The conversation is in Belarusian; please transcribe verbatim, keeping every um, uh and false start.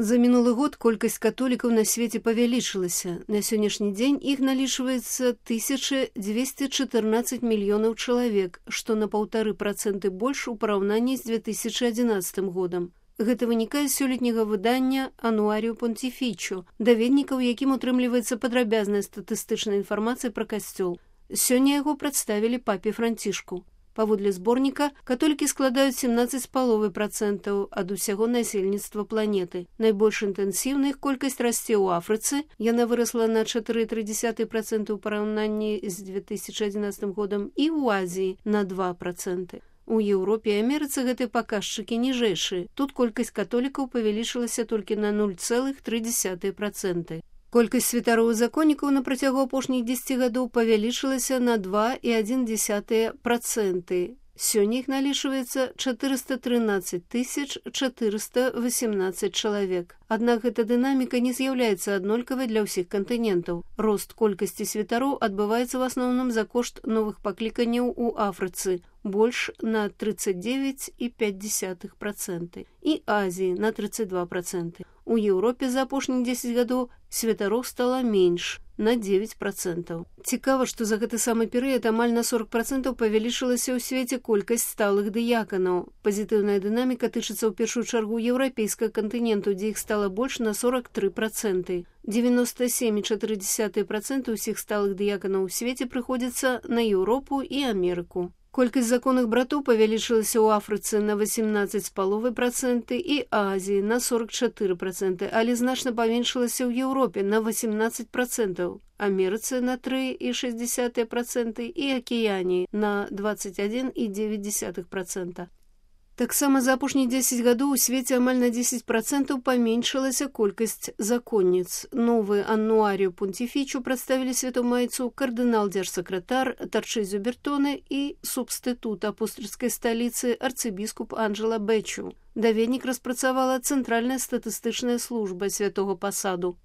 За мінулы год колькасць католікаў на свеце павялічылася. На сённяшні дзень іх налічваецца тысяча дзвесце чатырнаццаць мільёнаў чалавек, што на паўтары працэнты больш у параўнанні з две тысячы адзінаццатым годам. Гэта вынікае з сёлетняга выдання «Ануаріо Понтифічо», даведнікаў, якім утрымліваецца падрабязная статыстычная інфармацыя пра касцёл. Сёння яго прадставілі папе Францішку. Паводле зборніка, католікі складаюць сямнаццаць з паловай працэнтаў ад усяго насельніцтва планеты. Найбольш інтэнсіўна іх колькасць расце ў Афрыцы. Яна вырасла на чатыры і тры дзесятых працэнта ў параўнанні з две тысячы адзінаццатым годам і ў Азіі на два працэнты. У Еўропе і Амерыцы гэтыя паказчыкі ніжэйшыя. Тут колькасць католікаў павялічылася толькі на нуль цэлых тры дзесятых працэнта. Колькасць святароў і законнікаў на працягу апошніх дзесяці гадоў павялічылася на два і адзін дзесятых працэнта. Сёння іх налічваецца чатырыста трынаццаць тысяч чатырыста васемнаццаць чалавек. Аднак гэта дынаміка не з'яўляецца аднолькавай для ўсіх кантынентаў. Рост колькасці святароў адбываецца ў асноўным за кошт новых пакліканняў у Афрыцы, больш на трыццаць дзевяць і пяць дзесятых працэнта, і Азіі на трыццаць два працэнты. У Еўропе за апошніх дзесяць гадоў святароў стала менш, на дзевяць працэнтаў. Цікава, што за гэты самы перыяд амаль на сорок працэнтаў павялічылася ў свеце колькасць сталых дыяканаў. Пазітыўная дынаміка тычыцца ў першую чаргу еўрапейскага кантыненту, дзе іх стала больш на сорок тры працэнты. дзевяноста сем і чатыры дзесятых працэнта ўсіх сталых дыяканаў у свеце прыходзіцца на Еўропу і Амерыку. Колькасць законных братоў павялічылася ў Афрыцы на васемнаццаць з паловай працэнта і Азіі на сорок чатыры працэнты, але значна паменшылася ў Еўропе на васемнаццаць працэнтаў, Амерыцы на тры і шэсць дзесятых працэнта і Акіяніі на дваццаць адзін і дзевяць дзесятых працэнта. Таксама за апошнія дзесяць гадоў у свеце амаль на дзесяць працэнтаў паменшылася колькасць законніц. Новы «Ануаріо Понтифічо» прадставілі святомайцу кардынал-дзяржсакратар Тарчызо Бертоне і субстытут апостольскай сталіцы арцыбіскуп Анджела Бэчу. Даведнік распрацавала Цэнтральная статыстычная служба святого пасаду.